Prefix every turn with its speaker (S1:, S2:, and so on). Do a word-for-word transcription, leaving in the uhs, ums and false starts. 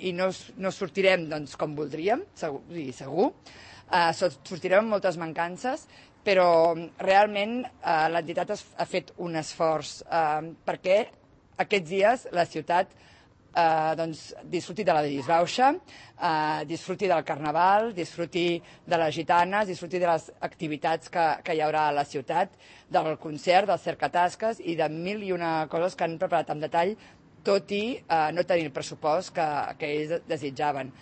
S1: i no, no sortirem doncs, com voldríem, segur, segur. Uh, sortirem amb moltes mancances, però realment uh, l'entitat ha fet un esforç uh, perquè aquests dies la ciutat uh, doncs, disfruti de la disbauxa, uh, disfruti del carnaval, disfruti de les gitanes, disfruti de les activitats que, que hi haurà a la ciutat, del concert, dels cercatasques i de mil i una coses que han preparat amb detall, tot i uh, no tenir el pressupost que, que ells desitjaven.